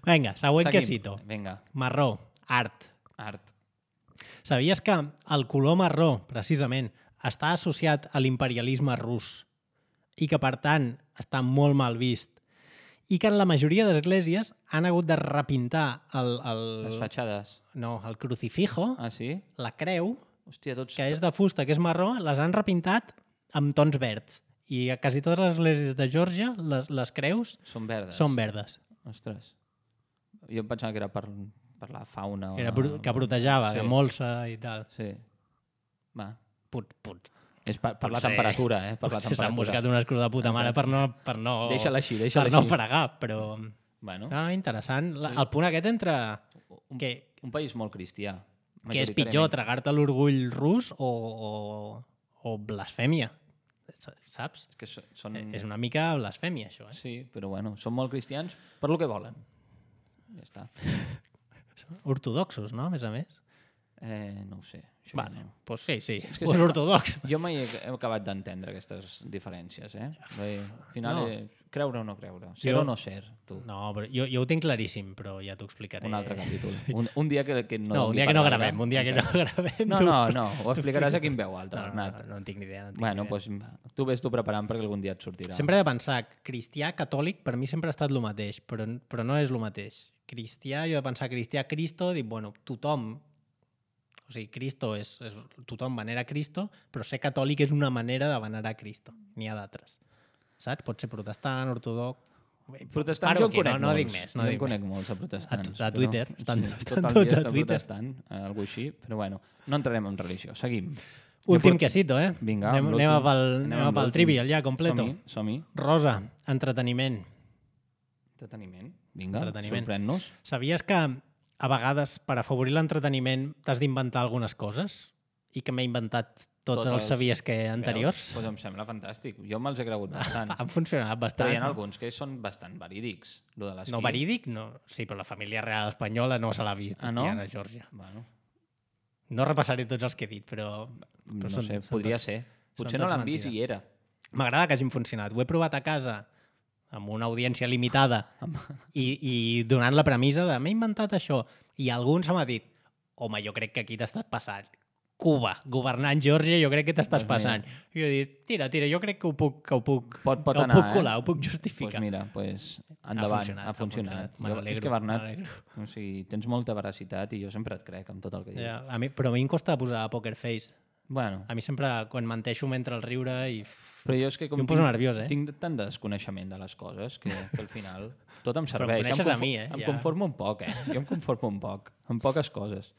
Vinga, següent Seguim. quesito. Vinga, Marró, art. art. Sabies que el color marró, precisament, està associat a l'imperialisme rus i que, per tant, està molt mal vist i que en la majoria d'esglésies han hagut de repintar el, el, Les fatxades. no, el crucifijo, Ah, sí? la creu, Hòstia, tots... que és de fusta, que és marró, les han repintat amb tons verds. I a quasi totes les esglésies de Geòrgia, les, les creus Són verdes. són verdes. Ostres. Jo em pensava que era per, per la fauna. O Era la... pro- que protejava, Sí. que molsa i tal. Sí. Va. Put, put. És per, per la Potser- temperatura, eh? Per la Potser s'han temperatura. buscat unes cruz de puta mare per no, per no, Deixa-la així, deixa-la per no així. fregar, però... Bueno, Ah, interessant. La, Sí. el punt aquest entre... un, Que, un país molt cristià. que és pitjor, tragar-te l'orgull rus o, o, o blasfèmia. Saps? És que so- són... És una mica blasfèmia, això. Eh? Sí, però bueno, són molt cristians per lo que volen. Ja està. Ortodoxos, no? A més a més. Eh, no ho sé. Això Vale, ja no. doncs sí, sí. És que Pues sí. ortodox. Jo mai he, he acabat d'entendre aquestes diferències, eh? Bé, al final, No. no. creure o no creure. Ser Jo- o no ser, tu. No, però jo, jo ho tinc claríssim, però ja t'ho explicaré. Un altre capítol. Un, un dia que, que no... No, un doni dia per que no gaire. gravem, un dia que no Exacte. gravem. No, tu- no, no, ho explicaràs aquí en veu alta, No, no, Bernat. no, no en tinc ni idea. No en tinc Bueno, ni idea. doncs tu ves tu preparant perquè algun dia et sortirà. Sempre he de pensar que cristià, catòlic, per mi sempre ha estat el mateix, però, però no és el mateix. Cristià, jo he de pensar cristià, Cristo, dic, bueno, tothom, o sigui, Cristo és, és tothom venera Cristo, però ser catòlic és una manera de venerar Cristo. N'hi ha d'altres. Saps? Pot ser protestant, ortodox... Protestants Paro jo en aquí, conec no, no molts. dic més, no jo dic en conec més. molts de protestants. A- a Twitter, però, estan- sí, estan tot el tots dia a està Twitter. protestant, eh, algú així, però bueno, no entrarem en religió. Seguim. Últim Jo quesito, eh? Vinga, anem, amb anem, l'últim. pel, Anem anem amb pel l'últim. trivial ja, completo. Som-hi, som-hi. Rosa, entreteniment. Entreteniment. Vinga, Entreteniment. sorprèn-nos. Sabies que a vegades, per afavorir l'entreteniment, t'has d'inventar algunes coses? I que m'he inventat tots Tots els els- sabies que anteriors? Veus? Pues em sembla fantàstic. Jo me'ls he cregut bastant. Han funcionat bastant. Però hi ha alguns que són bastant verídics. Lo de l'esquí. No verídic? No. Sí, però la família real espanyola no se l'ha vist Ah, no? esquiant a Geòrgia. Bueno, No repassaré tots els que he dit, però... però no són- sé, són podria tots- ser. Potser són no tots l'han vist mentida. i hi era. M'agrada que hagin funcionat. Ho he provat a casa amb una audiència limitada i, i donant la premissa de m'he inventat això. I algú se m'ha dit home, jo crec que aquí t'estàs passant. Cuba, governant Geòrgia, jo crec que t'estàs Doncs mira. passant. I jo he dit, tira, tira, jo crec que ho puc, que ho puc, Pot, pot que anar, ho puc colar, eh? ho puc Doncs justificar. pues mira, pues, endavant, funcionat, ha ha funcionat. funcionat. Me Jo, n'alegro, és que, Bernat, me n'alegro. o sigui, tens molta veracitat i jo sempre et crec amb tot el que dius. Ja, a mi, però a mi em costa posar poker face. Bueno, A mi sempre, quan menteixo, m'entra el riure i... però jo és que com Jo em poso nerviós, eh? tinc tant desconeixement de les coses que, que al final tot em Però em serveix. coneixes em a mi, eh? Em Ja. conformo un poc, eh? Jo em conformo un poc, amb poques coses.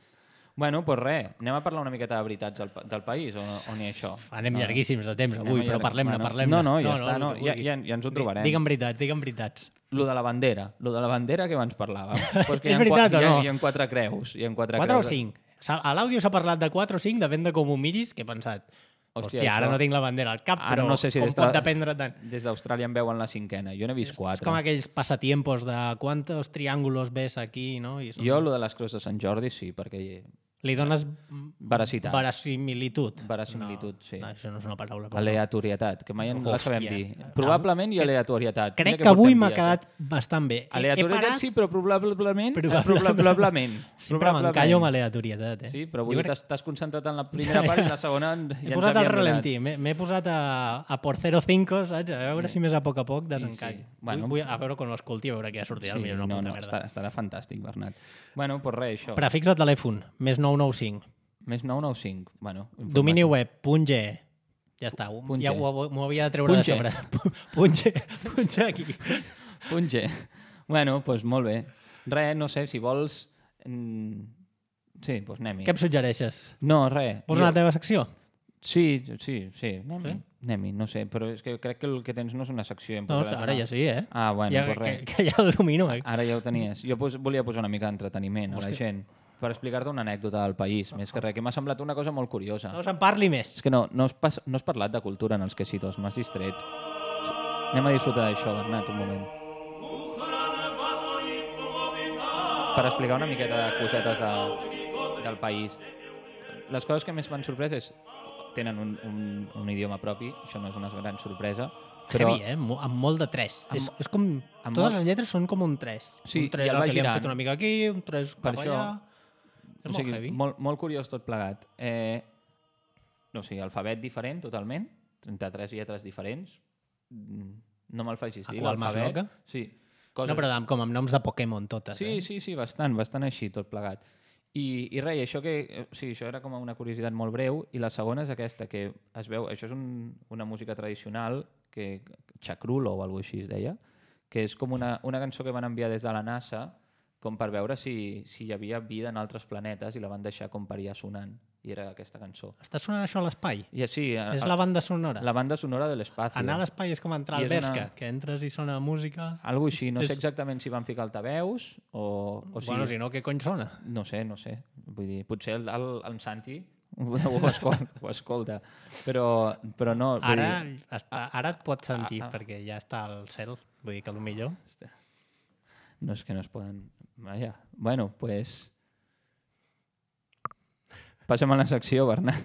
Bueno, doncs res, anem a parlar una miqueta de veritats del, pa- del país o, o ni això? Anem No. llarguíssims de temps Anem avui, allarg- però parlem-ne, bueno, parlem-ne. no, no, ja està, el no, que ja- vulguis. ja- ja ens ho Di- trobarem. Digue'm veritats, digue'm veritats. Lo de la bandera, lo de la bandera que abans parlàvem. Pues que hi És ha veritat qua- o hi ha, no? hi ha quatre creus. Hi ha quatre, quatre o creus. cinc? S'ha- A l'àudio s'ha parlat de quatre o cinc, depèn de com ho miris, que he pensat, hòstia, Hòstia, ara això- no tinc la bandera al cap, Ara però no sé si com des pot de- dependre tant? Des d'Austràlia en veuen la cinquena. Jo n'he vist És quatre. com aquells passatiempos de quantos triángulos ves aquí, no? I són... Jo, lo de les creus de Sant Jordi, sí, perquè Li dones Veracitat. verasimilitud. Verasimilitud, no, sí. No, això no és una paraula. però- aleatorietat, que mai en la sabem Hòstia. dir. Probablement i aleatorietat. Crec Mira que avui portem m'ha dies, quedat eh? bastant bé. He- he Aleatorietat parat- sí, però probablement... eh, Probablement. Probablement. Sempre m'encallo amb aleatorietat, eh? Sí, però Jo avui crec- t'has t'has concentrat en la primera part i en la segona ja He ens posat al havíem ralentí, m'he m'he posat a, a por cero cinco, saps? A veure si més a poc a poc desencall. sí. Sí. Bueno. Vull, vull, a veure quan l'escolti, a veure què sortirà. Sí, Sí, una no, puta no, merda. està, estarà fantàstic, Bernat. Bueno, doncs res, això. Prefix de telèfon, més nou nou cinc. Més nou nou cinc. Bueno, Domini web, punt G. Ja està, ho- Punt ja G. ho- m'ho havia de treure Punt de G. sobre. Punt G, punt G aquí. Punt G. Bueno, doncs molt bé. Res, no sé, si vols... mm, Sí, doncs anem-hi. Què em suggereixes? No, res. Vols Jo- una teva secció? Sí, sí, sí. Anem-hi, Sí? anem-hi, no sé, però és que crec que el que tens no és una secció. Em No, posaràs ara una- ja sí, eh? Ah, bueno, ja, doncs que, res. que ja ho domino, eh? Ara ja ho tenies. Jo pos, volia posar una mica d'entreteniment a la Vols que- gent per explicar-te una anècdota del país, més que res, que m'ha semblat una cosa molt curiosa. No se'n parli més. És que no, no has, pas, no has parlat de cultura en els quesitos, m'has distret. Anem a disfrutar d'això, Bernat, un moment. Per explicar una miqueta de cosetes de, del país. Les coses que més m'han sorprès és tenen un, un, un idioma propi, això no és una gran sorpresa, però Heavy, eh? Mo- Amb molt de tres. Amb- és, és com... amb Totes molt- les lletres són com un tres. Sí, un tres i el al va que li han girant. fet una mica aquí, un tres Per cap això- allà... És o molt sigui, heavy. molt, molt curiós tot plegat. Eh, no sé, alfabet diferent totalment, trenta-tres lletres diferents, Mm, no me'l facis dir, A qual más l'alfabet. loca? Sí, coses... No, però amb, com amb noms de Pokémon totes, Sí, eh? sí, sí, bastant, bastant així, tot plegat. I, i res, això que... eh, Sí, això era com una curiositat molt breu, i la segona és aquesta, que es veu... Això és un, una música tradicional, que Chacrulo o alguna així es deia, que és com una, una cançó que van enviar des de la NASA com per veure si, si hi havia vida en altres planetes i la van deixar com per allà sonant. i era aquesta cançó. Està sonant això a l'espai? I així, És la banda sonora? La banda sonora de l'espai. Anar a l'espai és com entrar al Bershka, una... que entres i sona música... Algo així, no és... sé exactament si van ficar altaveus o... o si... Bueno, si no, què cony sona? No sé, no sé. Vull dir, potser el, el, el Santi ho escolta, ho escolta. Però, però no... Vull Ara, dir... està, ara et pots sentir, ah, ah. perquè ja està al cel. Vull dir que potser... No és que no es poden... Vaja. Bueno, doncs... Pues... Passem a la secció, Bernat.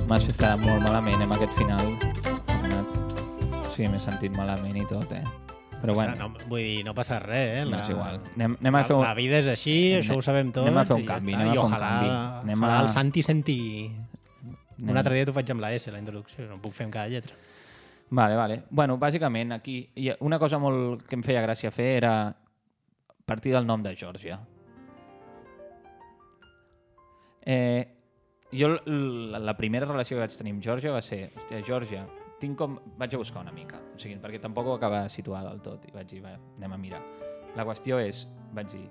M'has fet quedar molt malament amb aquest final, Bernat. Sí, m'he sentit malament i tot, eh? Però bueno. No, vull dir, no passa res, eh? La... No és igual. Anem, anem a fer un... La vida és així, anem, això ho sabem tots. Anem a fer un canvi, ja anem a fer un ojalà, canvi. Anem a... el Santi senti... Anem... Un altre dia t'ho faig amb la S, la introducció, no puc fer amb cada lletra. Vale, vale. Bueno, bàsicament, aquí una cosa molt que em feia gràcia fer era partir del nom de Geòrgia. Eh, jo la, la primera relació que vaig tenir amb Geòrgia va ser, hòstia, Geòrgia, tinc com... Vaig a buscar una mica, o sigui, perquè tampoc ho acaba situar del tot, i vaig dir, va, anem a mirar. La qüestió és, vaig dir,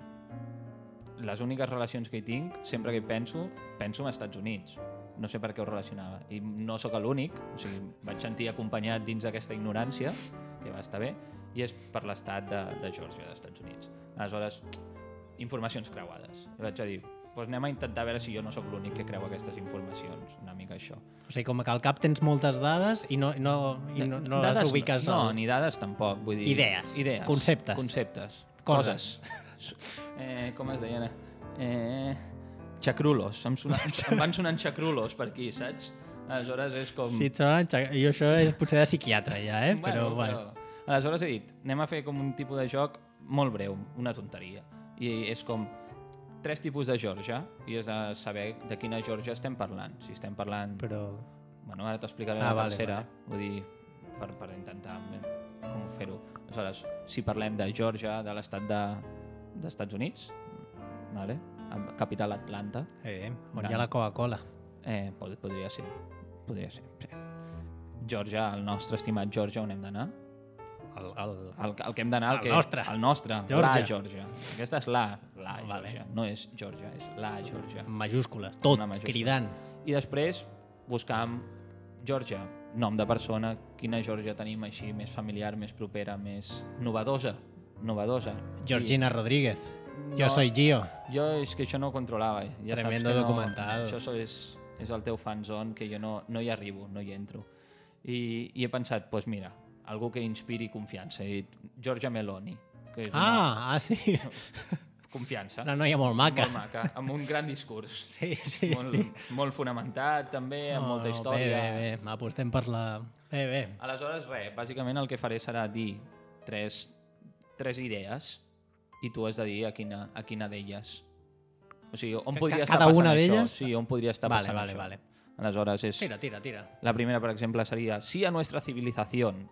les úniques relacions que hi tinc, sempre que hi penso, penso en Estats Units. No sé per què ho relacionava. I no sóc l'únic, o sigui, vaig sentir acompanyat dins d'aquesta ignorància, que va estar bé, i és per l'estat de, de Geòrgia, dels Estats Units. Aleshores, informacions creuades. I vaig a dir, doncs anem a intentar veure si jo no sóc l'únic que creu aquestes informacions, una mica això. O sigui, com que al cap tens moltes dades i no, no, i no, no dades, les ubiques... No, al... no, ni dades tampoc, vull dir... Idees, Idees. conceptes. Conceptes. Coses. Coses. Eh, com es deien? Eh, xacrulos. Em, sona, em van sonant xacrulos per aquí, saps? Aleshores és com... Sí, et sonen xac... I això és potser de psiquiatre ja, eh? Però, bueno, bueno. Però... Aleshores he dit, anem a fer com un tipus de joc molt breu, una tonteria. I és com... tres tipus de Geòrgia i és de saber de quina Geòrgia estem parlant. Si estem parlant... Però... Bueno, ara t'explicaré ah, la vale, tercera, vale. Vull dir, per, per intentar com fer-ho. Aleshores, si parlem de Geòrgia, de l'estat de, d'Estats Units, vale? Capital Atlanta. Eh, on gran. Hi ha la Coca-Cola. Eh, pod podria ser. Podria ser, sí. Geòrgia, el nostre estimat Geòrgia, on hem d'anar? El, el, el, el que hem d'anar, el, el que, nostre. El nostre, Geòrgia. la Geòrgia. Aquesta és la, la vale. Geòrgia. No és Geòrgia, és la Geòrgia. Majúscules, tot, cridant. I després buscàvem Geòrgia, nom de persona, quina Geòrgia tenim així, més familiar, més propera, més novedosa. Novedosa. Georgina I... Rodríguez. No, jo soy Gio. Jo és que això no ho controlava. Ja Tremendo saps que documental. No, això és, és el teu fanzone, que jo no, no hi arribo, no hi entro. I, i he pensat, doncs pues mira, algú que inspiri confiança. He dit Giorgia Meloni. Que és ah, una... ah, sí. Confiança. Una noia molt maca. Molt maca, amb un gran discurs. Sí, sí, molt, sí. Molt fonamentat, també, amb no, molta no, història. Bé, bé, bé. Apostem per la... Bé, bé. Aleshores, res, bàsicament el que faré serà dir tres, tres idees i tu has de dir a quina, a quina d'elles. O sigui, on podria estar Cada passant una això? d'elles? Sí, on podria estar vale, passant vale, això. Vale. Aleshores, és... Tira, tira, tira. La primera, per exemple, seria sí a nuestra civilización.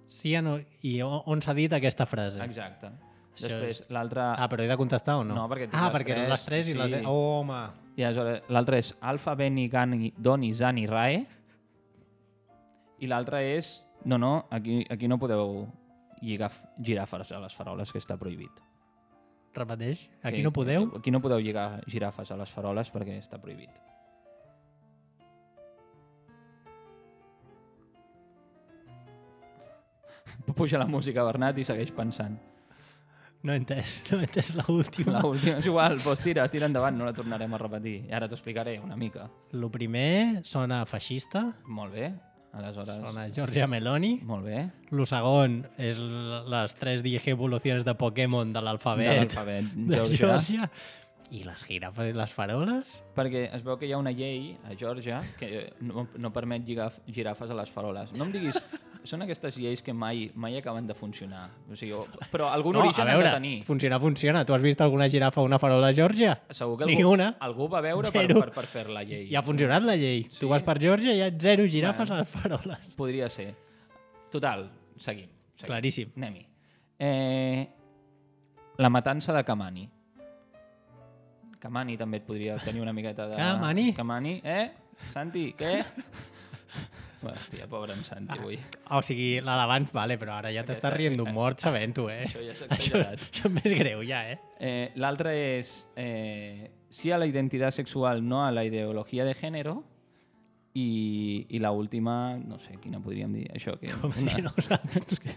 Sí a no... I on s'ha dit aquesta frase? Exacte. Això Després, és... l'altra... Ah, però he de contestar o no? No, perquè ah, les perquè tres, les tres i sí. les... Oh, home! I aleshores, l'altra és alfa, beni, gani, doni, zani, rae. I l'altra és... No, no, aquí, aquí no podeu lligar girafes a les faroles, que està prohibit. Repeteix? Aquí que, no podeu? Aquí no podeu lligar girafes a les faroles perquè està prohibit. Puja la música, Bernat, i segueix pensant. No he entès, no he entès l'última. L'última és igual, doncs tira, tira endavant, no la tornarem a repetir. I ara t'ho explicaré una mica. Lo primer sona feixista. Molt bé, aleshores... Sona Giorgia Meloni. Molt bé. Lo segon és les tres digievolucions de Pokémon de l'alfabet. De l'alfabet, de Geòrgia. I les girafes i les faroles? Perquè es veu que hi ha una llei a Geòrgia que no, no permet lligar girafes a les faroles. No em diguis... Són aquestes lleis que mai mai acaben de funcionar. O sigui, però algun no, origen veure, han de tenir. Funcionar, funciona. Tu has vist alguna girafa o una farola a Geòrgia? Segur que Ni algú, una. algú va veure per, per, per fer la llei. I ha funcionat la llei. Sí. Tu vas per Geòrgia i hi ha zero girafes bueno, a les faroles. Podria ser. Total, seguim. seguim. Claríssim. Anem-hi. Eh, la matança de Kamani. Kamani també et podria tenir una miqueta de... Kamani? Kamani, eh? Santi, què? Hòstia, pobre en Santi, avui. O sigui, la d'abans, vale, però ara ja t'estàs rient d'un mort sabent-ho, eh? Això ja s'ha Això, exagerat. això és més greu, ja, eh? Eh, L'altre és eh, sí a la identitat sexual, no a la ideologia de gènere. I, i l'última, no sé quina podríem dir, això que... Com si no ho saps. És que,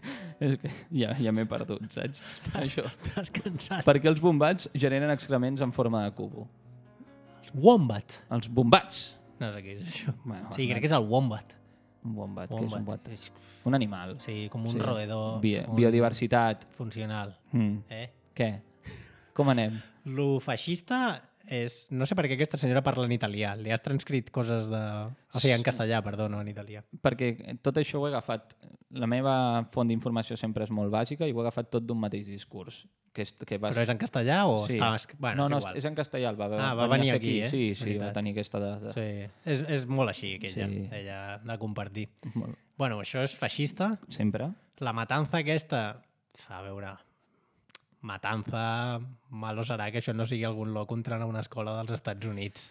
és que ja, ja m'he perdut, saps? Això. T'has cansat. Perquè els bombats generen excrements en forma de cubo. Wombat. Els bombats. No sé què és això. Bueno, Sí, crec que és el wombat. Un wombat, què és un Wombat. wombat? És, Un animal. sí, com un Sí. roedor. Bi un biodiversitat. Funcional. Mm. Eh? Què? Com anem? Lo feixista és... No sé per què aquesta senyora parla en italià. Li has transcrit coses de... O sigui, en castellà, perdó, no en italià. Perquè tot això ho he agafat... La meva font d'informació sempre és molt bàsica i ho he agafat tot d'un mateix discurs. Que és, que vas... Però és en castellà o Sí. està... es- Bueno, no, no, és igual. és en castellà. El va, Ah, va venir a fer aquí, eh? Sí, sí, Veritat. va tenir aquesta dada. Sí, és, és molt així, aquella, Sí. ella de compartir. Molt. Bueno, això és feixista. Sempre? La matanza aquesta... A veure... Matanza... Malo serà que això no sigui algun loc entrant a una escola dels Estats Units.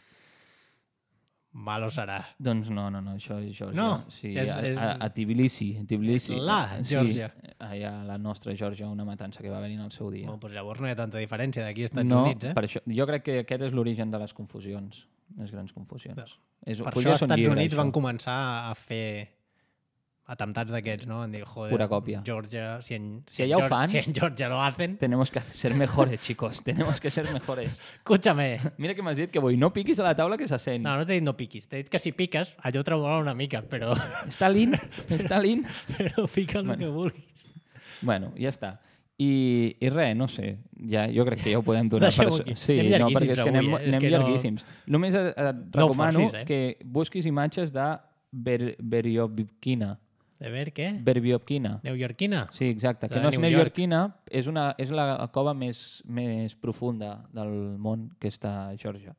Malo serà. Doncs no, no, no, això és Geòrgia. No, sí, és- a, és- a, a Tbilisi. Tbilisi. La Geòrgia. Sí, allà a la nostra Geòrgia, una matança que va venir en el seu dia. Bueno, doncs llavors no hi ha tanta diferència d'aquí als Estats no, Units, eh? per això, jo crec que aquest és l'origen de les confusions, les grans confusions. És, Per podria això als ser un Estats llibre, Units això. van començar a fer atemptats d'aquests, no? Van dir, joder, Pura còpia. Georgia, si en, Si en allà ho Georgia- fan- si en Georgia lo hacen, Tenemos que ser mejores, chicos. Tenemos que ser mejores. escúchame. Mira que m'has dit que vull. No piquis a la taula que se sent. No, no t'he dit no piquis, t'he dit que si piques, allò tremola una mica, però, Stalin? Stalin? però pica el Bueno. que vulguis. Bueno, ja està. I, i res, no sé, ja, jo crec que ja ho podem donar. Deixem-ho per... aquí. Sí, Anem no, perquè és que anem, llarguíssims avui, eh? És anem que no- llarguíssims. Només et, et No ho recomano forcis, eh? que busquis imatges de Ber Beriovikina. A veure, què? Berbiopkina. Neoyorquina? Sí, exacte. Que La no de és New York. neoyorquina, és, una, és la cova més, més profunda del món que està a Geòrgia.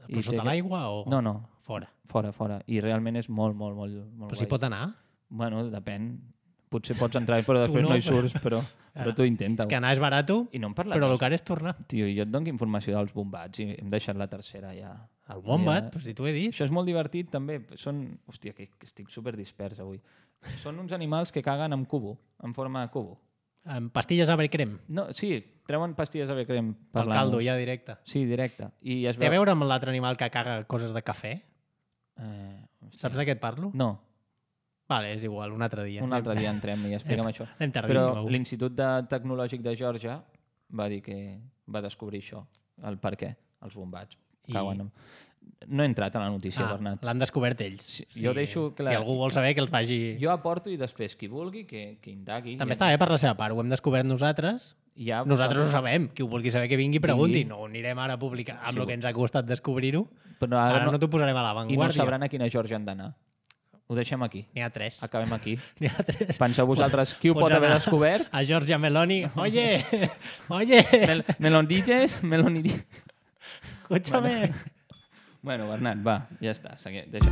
Però I sota té- l'aigua o No, no, fora? fora, fora. I realment és molt, molt, molt, molt Però s'hi pot anar? Bueno, depèn. Potser pots entrar, però Tu després no, no, hi però- surts, però, però tu intenta. És que anar és barato, I no en parlem. però el dels- que ara és tornar. Tio, jo et dono informació dels bombats i hem deixat la tercera ja. El wombat, Ja- però si t'ho he dit. Això és molt divertit també. Són... Hòstia, que, que estic super dispers avui. Són uns animals que caguen amb cubo, en forma de cubo. Amb pastilles ave crem, No, sí, treuen pastilles ave crem per pel caldo, l'anus. ja directe. Sí, directe. I es Té a veu... veure amb l'altre animal que caga coses de cafè? Eh, hòstia. Saps de què et parlo? No, Vale, és igual, un altre dia. un altre dia entrem i explica'm això. Anem tardíssim Però avui. l'Institut de Tecnològic de Geòrgia va dir que va descobrir això, el per què, els bombats. I- Cauen amb... No he entrat a la notícia, Ah, Bernat. l'han descobert ells. Sí, jo deixo que la- Si algú vol saber, que el faci... Jo aporto i després qui vulgui que, que indagui. També I- està bé per la seva part, ho hem descobert nosaltres. Ja, Nosaltres ho sabem, qui ho vulgui saber que vingui pregunti. Vingui. No ho anirem ara a publicar amb Sí, el que ens ha costat descobrir-ho. Però Ara, ara no, no, t'ho posarem a I no l'avantguàrdia. sabran a quina Geòrgia han d'anar. Ho deixem aquí. N'hi ha tres. Acabem aquí. N'hi ha tres. Penseu vosaltres qui ho Pots pot haver anar descobert? A Giorgia Meloni. Oye, oye, Mel Melondiges? Melonidi... escúchame. Bueno, Bernat, va, ja està. Segui... Deixa.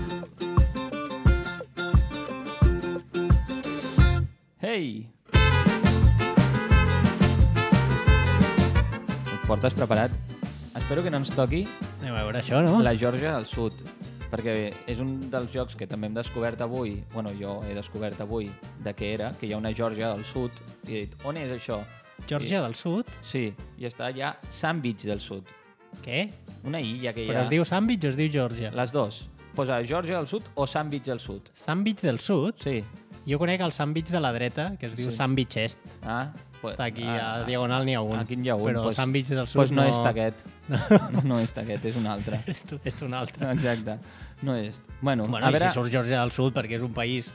Hey! Et portes preparat? Espero que no ens toqui Anem a veure això, no? la Geòrgia del Sud, perquè és un dels jocs que també hem descobert avui, bueno, jo he descobert avui de què era, que hi ha una Geòrgia del Sud, i he dit, on és això? Geòrgia del Sud? Sí, i està allà Sandwich del Sud, Què? una illa que hi Però ha... es diu Sandwich o es diu Geòrgia? Les dos. Posa Geòrgia del Sud o Sandwich del Sud. Sandwich del Sud? Sí. Jo conec el Sandwich de la dreta, que es diu Sí. Sandwich Est. Ah, pues, Està aquí, ah, a Diagonal n'hi ha un. Aquí n'hi ha un. Però pues, Sandwich del Sud pues no, no... és aquest. No, no és aquest, és un altre. És, tu- és un altre. Exacte. No és. Bueno, Bueno, a i veure, si surt Geòrgia del Sud, perquè és un país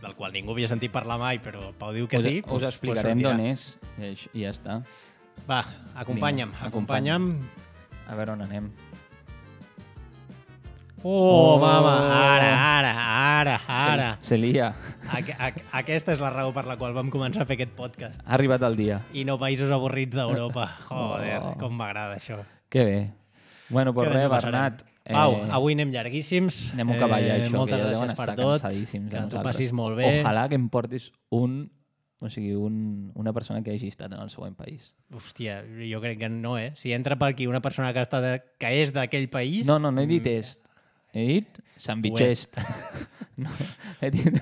del qual ningú havia sentit parlar mai, però Pau diu que us, sí, us pues, explicarem pues d'on sortirà. és i aix- i ja està. Va, acompanya'm, Vinga, acompanya'm. A veure on anem. Oh, Oh. mama, ara, ara, ara, ara. Se, se lia. Aqu aqu aquesta és la raó per la qual vam començar a fer aquest podcast. Ha arribat el dia. I no països avorrits d'Europa. Joder, Oh. com m'agrada això. Que bé. Bueno, pues Que bé ens res, ho passarem. Bernat. Pau, avui anem llarguíssims. Anem a acabar ja, això, moltes que ja gràcies deuen per estar tot. cansadíssims. Que a t'ho nosaltres. passis molt bé. Ojalà que em portis un O sigui, un, una persona que hagi estat en el següent país. Hòstia, jo crec que no, eh? Si entra per aquí una persona que, està de... que és d'aquell país... No, no, no he dit est. He dit Sant Vitgest. No, he dit...